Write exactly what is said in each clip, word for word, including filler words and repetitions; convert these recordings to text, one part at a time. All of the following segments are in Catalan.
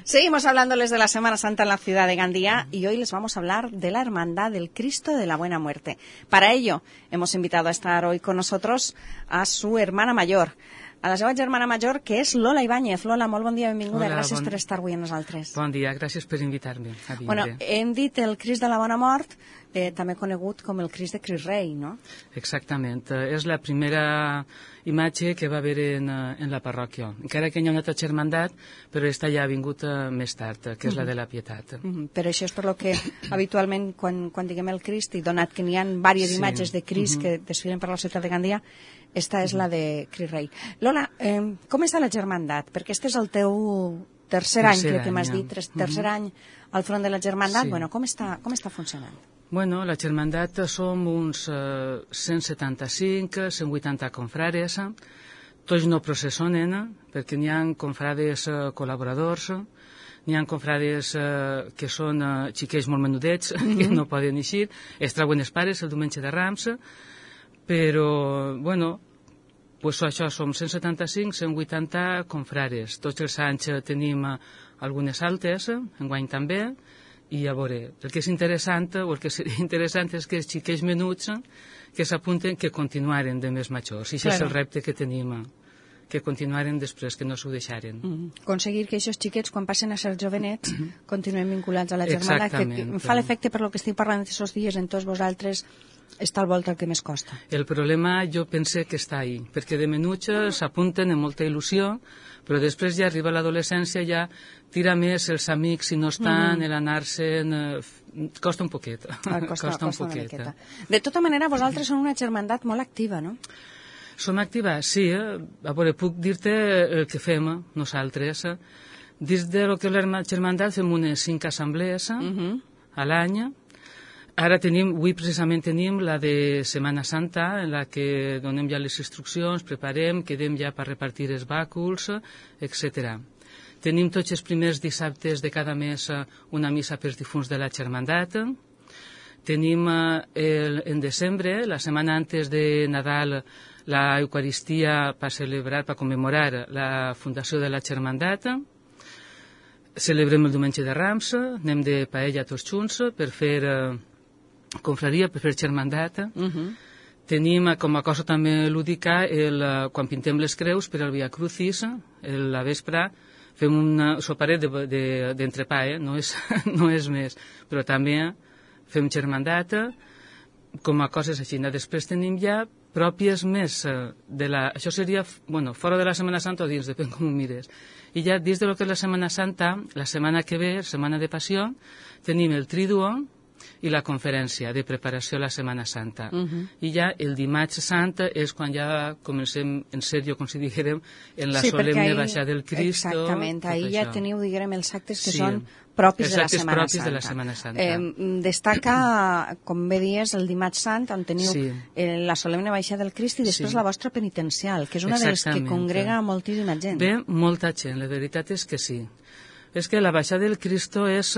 Seguimos hablándoles de la Semana Santa en la ciudad de Gandía y hoy les vamos a hablar de la Hermandad del Cristo de la Buena Muerte. Para ello, hemos invitado a estar hoy con nosotros a su hermana mayor, a la seva germana major, que és Lola Ibáñez. Lola, molt bon dia, benvinguda. Hola, gràcies bon... per estar avui amb nosaltres. Bon dia, gràcies per invitar-me a vindre. Bueno, hem dit el Crist de la Bona Mort, eh, també conegut com el Crist de Crist Rei, no? Exactament. És la primera imatge que va haver en, en la parròquia. Encara que hi ha una altra germandat, però esta ja ha vingut més tard, que és la de la Pietat. Uh-huh. Però això és per lo que habitualment, quan, quan diguem el Crist, i donat que n'hi ha diverses sí. imatges de Crist uh-huh. que desfilen per la ciutat de Gandia, esta és uh-huh. la de Crist Rei. Lola, eh, com està la germandat? Perquè este és el teu tercer, tercer any, crec que m'has dit, tercer uh-huh. any al front de la germandat. Sí. Bueno, com està, com està funcionant? Bueno, la germandat som uns eh, cent setanta-cinc, cent vuitanta confrares, tots no processonen, perquè n'hi ha confrades eh, col·laboradors, n'hi ha confrades eh, que són eh, xiquets molt menudets, mm-hmm. que no poden eixir, es treuen els pares el diumenge de Rams, però, bueno, pues això, som cent setanta-cinc, cent vuitanta confrares. Tots els anys tenim algunes altes, enguany també, i a veure, el que és interessant, o el que seria interessant és que els xiquets menuts que s'apunten que continuaren de més majors. I això claro. És el repte que tenim, que continuaren després, que no s'ho deixaren. Mm-hmm. Aconseguir que aquests xiquets, quan passen a ser jovenets, mm-hmm. continuem vinculats a la germandat, que em fa l'efecte per lo que estic parlant aquests dies en tots vosaltres, està al volta el que més costa. El problema jo pense que està ahí, perquè de menuts s'apunten amb molta il·lusió, però després ja arriba l'adolescència, ja tira més els amics si no estan, mm-hmm. l'anar-se'n... Eh, costa un poquet. Ah, costa, costa, costa un poquet. De tota manera, vosaltres són una germandat molt activa, no? Som activa, sí. Eh? A veure, puc dir-te el que fem nosaltres. Dins de lo que és la germandat fem unes cinc assemblees mm-hmm. a l'any. Ara tenim, avui precisament tenim la de Setmana Santa, en la que donem ja les instruccions, preparem, quedem ja per repartir els bàculs, etcètera. Tenim tots els primers dissabtes de cada mes una missa pels difunts de la germandat. Tenim el, en desembre, la setmana antes de Nadal, la Eucaristia per celebrar, per commemorar la fundació de la germandat. Celebrem el diumenge de Rams, anem de paella tots junts per fer confraria, per fer germandat. Uh-huh. Tenim com a cosa també lúdica el, quan pintem les creus per al Via Crucis, el, la vespre fem un soparet d'entrepà, de, de, eh? no, és, no és més, però també fem germandat com a coses així. Després tenim ja pròpies més de la... Això seria, bueno, fora de la Setmana Santa o dins, depèn com ho mires. I ja dins de lo que és la Setmana Santa, la setmana que ve, Setmana de Passió, tenim el Triduo i la conferència de preparació a la Setmana Santa. Uh-huh. I ja el dimarts sant és quan ja comencem en sèrio, com si diguérem, en la sí, solemne ahí, baixada del Cristo. Exactament, ahir ja teniu, diguérem, els actes que sí, són propis, de la, propis Santa. de la Setmana Santa. Eh, destaca, com bé dies, el dimarts sant, on teniu sí. eh, la solemne baixada del Crist i després sí. la vostra penitencial, que és una de les que congrega moltíssima gent. Ve molta gent, la veritat és que sí. És que la baixada del Cristo és...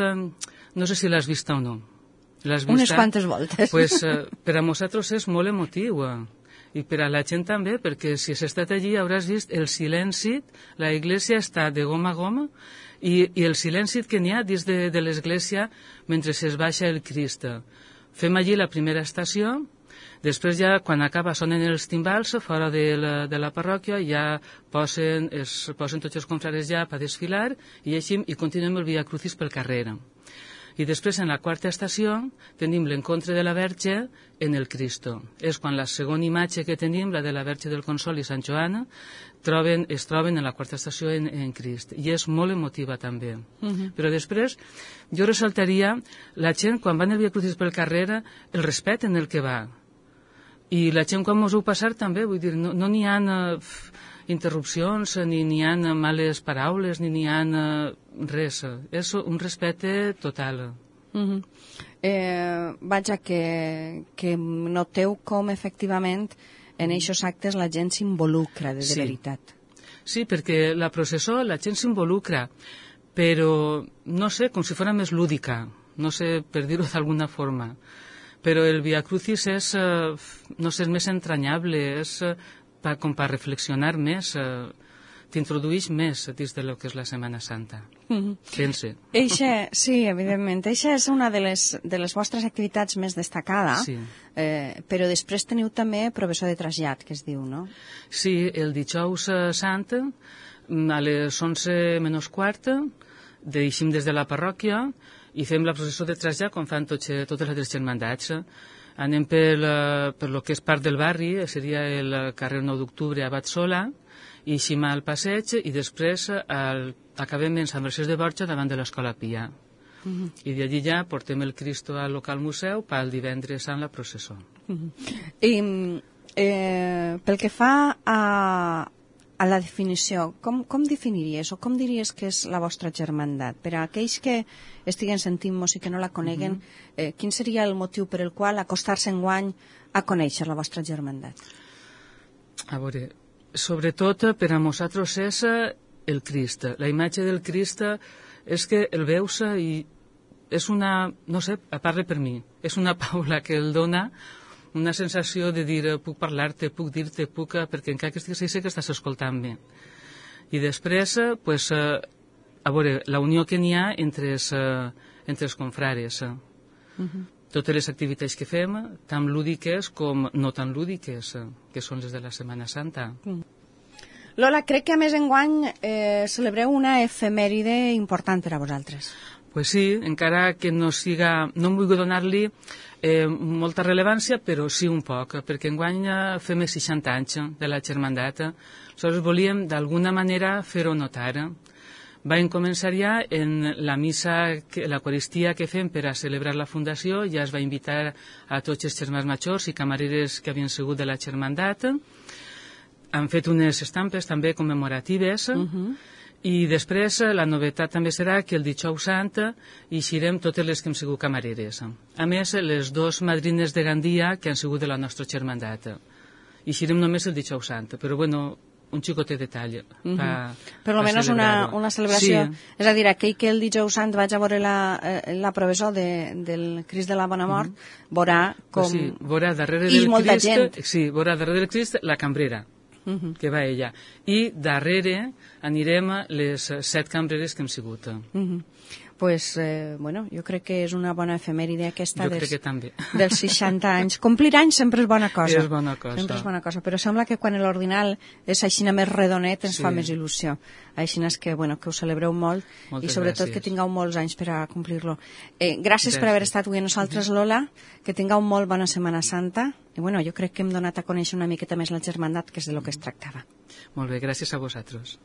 No sé si l'has vista o no. Unes quantes voltes. Pues, eh, per a nosaltres és molt emotiu, eh? I per a la gent també, perquè si has estat allí hauràs vist el silenci, la iglesia està de goma a goma, i, i el silenci que n'hi ha dins de, de l'església mentre es baixa el Crist. Fem allí la primera estació, després ja quan acaba sonen els timbals fora de la, de la parròquia, ja posen, es, posen tots els confrares ja per desfilar i així i continuem el Via Crucis pel carrer. I després, en la quarta estació, tenim l'encontre de la Verge en el Cristo. És quan la segona imatge que tenim, la de la Verge del Consol i Sant Joan, troben, es troben en la quarta estació en, en Crist. I és molt emotiva també. Uh-huh. Però després, jo ressaltaria la gent, quan va en el Via Crucis pel carrer, el respecte en el que va. I la gent, quan mos ho passar, també, vull dir, no n'hi no ha... Uh, interrupcions, ni n'hi ha males paraules, ni n'hi ha res. És un respecte total. Uh-huh. eh, vaja, que, que noteu com efectivament en aquests actes la gent s'involucra de, de sí. veritat. Sí, perquè la processó la gent s'involucra, però no sé, com si fos més lúdica, no sé, per dir-ho d'alguna forma. Però el Via Crucis és, no sé, és més entranyable, és... Pa, com per reflexionar més. Eh, t'introdueix més dins de lo que és la Setmana Santa. Mm-hmm. Pense. Eixa, sí, evidentment. Eixa és una de les, de les vostres activitats més destacada, sí. eh, però després teniu també professor de trasllat, que es diu, no? Sí, el dijous sant, a les onze menys quart, deixem des de la parròquia i fem la processó de trasllat com fan tots, totes les germandats. Anem per, per lo que és part del barri, seria el carrer nou d'octubre a Batsola, i eixim al passeig i després el, acabem en Sant Vercés de Borja davant de l'Escola Pia. Uh-huh. I d'allí ja portem el Cristo al local museu pel divendres sant la processó. Uh-huh. I eh, pel que fa a, a la definició, com, com definiries o com diries que és la vostra germandat? Per a aquells que estiguen sentint-nos i que no la coneguen, uh-huh. eh, quin seria el motiu per el qual acostar-se enguany a conèixer la vostra germandat? A veure, sobretot per a nosaltres és el Crist. La imatge del Crist és que el veus i és una, no sé, parla per mi, és una paula que el dona una sensació de dir puc parlar-te, puc dir-te, puc... perquè encara que estigues sé que estàs escoltant-me. I després, pues, a veure, la unió que n'hi ha entre els, entre els confrares. Uh-huh. Totes les activitats que fem, tant lúdiques com no tan lúdiques, que són les de la Setmana Santa. Mm. Lola, crec que a més enguany eh, celebreu una efemèride important per a vosaltres. Pues sí, encara que no siga... No em vull donar-li eh, molta rellevància, però sí un poc, perquè enguany fem els seixanta anys de la germandat. Nosaltres volíem d'alguna manera fer-ho notar. Vam començar ja en la missa, l'Eucaristia que fem per a celebrar la fundació, ja es va invitar a tots els germans majors i camareres que havien sigut de la germandat. Han fet unes estampes també commemoratives, uh-huh. i després la novetat també serà que el dijous sant eixirem totes les que hem sigut camareres. A més, les dues madrines de Gandia que han sigut de la nostra germandat. Eixirem només el dijous sant, però bueno... un xicotet detall. Uh-huh. Pa, per almenys una, una celebració. Sí. És a dir, aquell que el dijous sant vaig a veure la, eh, la professó de, del Crist de la Bona Mort, uh-huh. veurà com... Pues sí, veurà darrere I del molta Crist, gent. Sí, veurà darrere del Crist la cambrera, uh-huh. que va ella. I darrere anirem les set cambreres que hem sigut. Uh-huh. Pues, eh, bueno, jo crec que és una bona efemèride aquesta dels, dels seixanta anys. Complir anys sempre és bona cosa. És bona cosa. Sempre és bona cosa, però sembla que quan l'ordinal és aixina més redonet ens sí. fa més il·lusió. Aixina és que, bueno, que ho celebreu molt Moltes i sobretot gràcies. Que tingueu molts anys per a complir-lo. Eh, gràcies, gràcies per haver estat avui a nosaltres, Lola, que tingueu molt bona Setmana Santa i, bueno, jo crec que hem donat a conèixer una miqueta més la germandat, que és de lo que es tractava. Molt bé, gràcies a vosaltres.